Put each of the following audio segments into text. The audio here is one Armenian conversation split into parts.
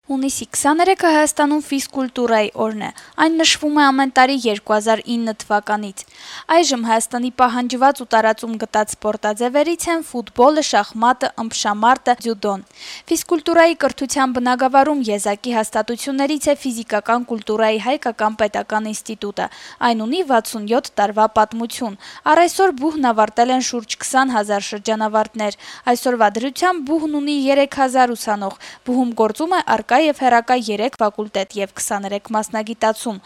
Հունիսի 23-ը Հայաստանում ֆիզկուլտուրայի օրն է, այն նշվում է ամեն տարի 2009 թվականից։ Այժմ Հայաստանի պահանջված ու տարածում գտած սպորտաձևերից են ֆուտբոլը, շախմատը, ըմբշամարտը, ձյուդոն։ Ֆիզկուլտուրայի կրթության բնագավառում եզակի հաստատություններից է Ֆիզիկական կուլտուրայի հայկական պետական ինստիտուտը։ Այն ունի 67 տարվա պատմություն։ Առ այսօր բուհն ավարտել են շուրջ 20,000 շրջանավարտներ։ Այսօրվա դրությամբ բուհն ունի 3000 ուսանող։ Բուհում գործում է առկա եւ հեռակա 3 ֆակուլտետ եւ 23 մասնագիտացում։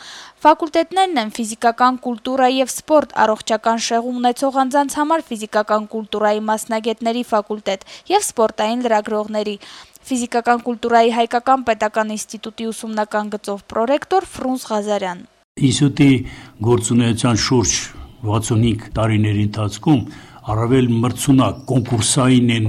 Ֆակուլտետներն են ֆիզիկական կուլտուրա եւ սպորտ, առողջական շեղում ունեցող անձանց համար ֆիզիկական կուլտուրայի մասնագետների ֆակուլտետ եւ սպորտային լրագրողների։ Ֆիզիկական կուլտուրայի հայկական պետական ինստիտուտի ուսումնական գծով պրոռեկտոր Ֆրունզ Ղազարյան։ Ինստիտուտի գործունեության շուրջ 65 տարիների ընթացքում առավել մրցունակ կոնկուրսային են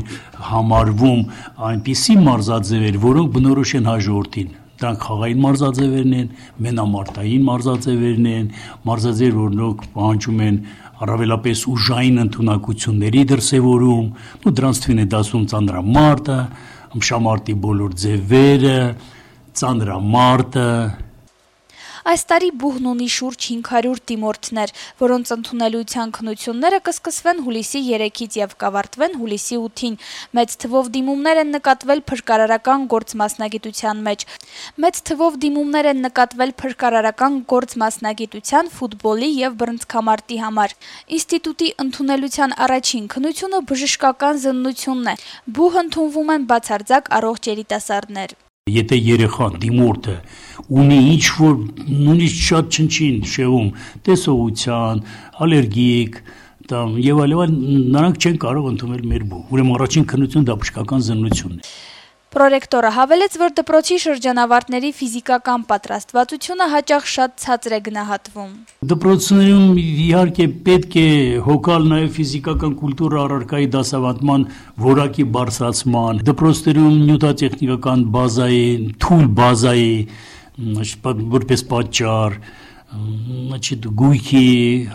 համարվում այնպիսի մարզաձևեր, որոնք բնորոշ են հաջորդին։ Դրանք խաղային մարզաձևերն են, մենամարտային մարզաձևերն են, մարզաձևեր, որոնք պահանջում են առավելապես ուժային ընդունակությունների դրսևորում, դրանց թվին է դասում ծանրամարտը, ըմբշամարտի բոլոր ձևերը, ծանրամարտը։ Այս տարի բուհն ունի շուրջ 500 դիմորդներ, որոնց ընդունելության քննությունները կսկսվեն հուլիսի 3-ից եւ կավարտվեն հուլիսի 8-ին։ Մեծ թվով դիմումներ են նկատվել փրկարարական գործ մասնագիտության մեջ։ Մեծ թվով դիմումներ են նկատվել փրկարարական գործ մասնագիտության, ֆուտբոլի եւ բռնցքամարտի համար։ Ինստիտուտի ընդունելության առաջին քննությունը բժշկական զննությունն է։ Բուհ ընդունվում են բացարձակ առողջ երիտասարդներ։ Եթե երեխան դիմորդը ունի ինչ-որ նույնիսկ շատ չնչին շեղում, տեսողության, ալերգիկ եւ այլն, նրանք չեն կարող ընդունել մեր բուհ։ Ուրեմն առաջին քննությունը դա բժշկական զննությունն է։ Պրոռեկտորը հավելեց, որ դպրոցի շրջանավարտների ֆիզիկական պատրաստվածությունը հաճախ շատ ցածր է գնահատվում։ Դպրոցներում իհարկե պետք է հոգալ նաև ֆիզիկական կուլտուրա առարկայի դասավանդման որակի բարձրացման, դպրոցներում նյութատեխնիկական բազայի, թույլ բազայի, որպես պատճառ, գույքի,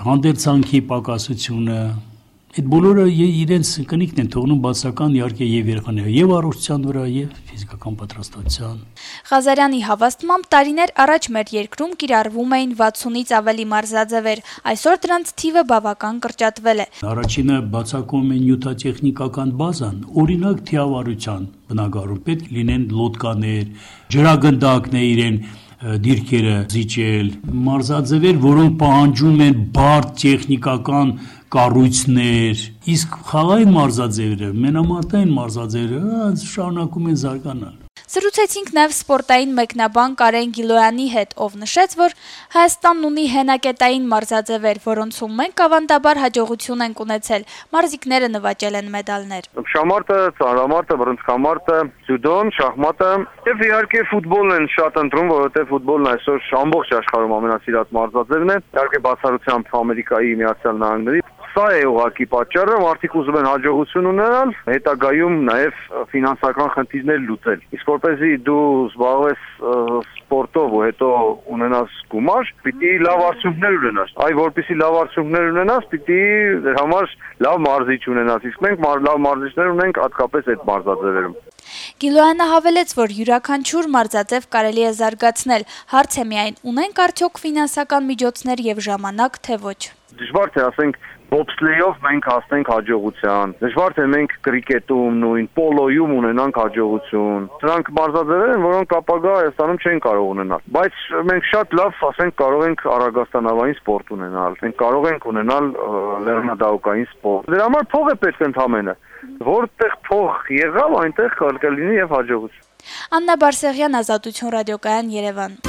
հանդերձանքի պակասությունը։ Այդ բոլորը իրենց կնիքն են թողնում բացական իհարկե եւ երեխաների եւ առողջության վրա եւ ֆիզիկական պատրաստության։ Ղազարյանի հավաստմամբ տարիներ առաջ մեր երկրում կիրառվում էին 60-ից ավելի մարզաձևեր, այսօր դրանց թիվը բավական կրճատվել է։ Առաջինը բացակում է նյութատեխնիկական բազան, օրինակ թիավարության բնագավառում պետք լինեն լոդկաներ, ջրագնդակներ իրեն դիրքերը զիջել, մարզաձևեր, որոնք պահանջում են բարդ տեխնիկական կառույցներ, իսկ խաղային մարզաձևերը, մենամարտային մարզաձևերը շարունակում են զարգանալ։ Զրուցեցինք նաև սպորտային մեկնաբան Կարեն Գիլոյանի հետ, ով նշեց, որ Հայաստանն ունի հենակետային մարզաձևեր, որոնցում մենք ավանդաբար հաջողություն ենք ունեցել, մարզիկները նվաճել են մեդալներ։ Ըմբշամարտը, ծանրամարտը, բռնցքամարտը, ձյուդոն, շախմատը եւ իհարկե ֆուտբոլն են շատ ընտրում, որովհետեւ ֆուտբոլն այսօր ամբողջ աշխարհում ամենասիրած մարզաձևն է, իհարկե բացառությամբ Ամերիկայի Միացյալ Նահանգների։ Սա է ուղղակի պատճառը, մարդիկ ուզում են հաջողություն ունենալ, հետագայում նաև ֆինանսական խնդիրներ լուծել։ Իսկ որպեսզի դու զբաղվես սպորտով ու հետո ունենաս գումար, պիտի լավ արդյունքներ ունենաս։ Այ որպեսզի լավ արդյունքներ ունենաս, պիտի դեր համար լավ մարզիչ ունենաս։ Իսկ մենք լավ մարզիչներ ունենք հատկապես այդ մարզաձևերում։ Գիլոյանը հավելեց, որ յուրաքանչյուր մարզաձև կարելի է զարգացնել, հարց է միայն ունենք արդյոք ֆինանսական միջոցներ եւ ժամանակ, թե ոչ։ Դժվար թե ասենք բոբսլեյով մենք հասնենք հաջողության։ Դժվար թե մենք կրիկետում, նույն պոլոյում ունենանք հաջողություն։ Դրանք մարզաձևեր են, որոնք ապագա Հայաստանում չեն կարող ունենալ։ Բայց մենք շատ լավ, ասենք, կարող ենք առագաստանավային սպորտ ունենալ։ Մենք կարող ենք ունենալ լեռնադահուկային սպորտ։ Դրա համար փող է պետք ընդամենը։ Որտեղ փող եղավ, այնտեղ կլինի եւ հաջողություն։ Աննա Բարսեղյան, Ազատություն ռադիոկայան, Երևան։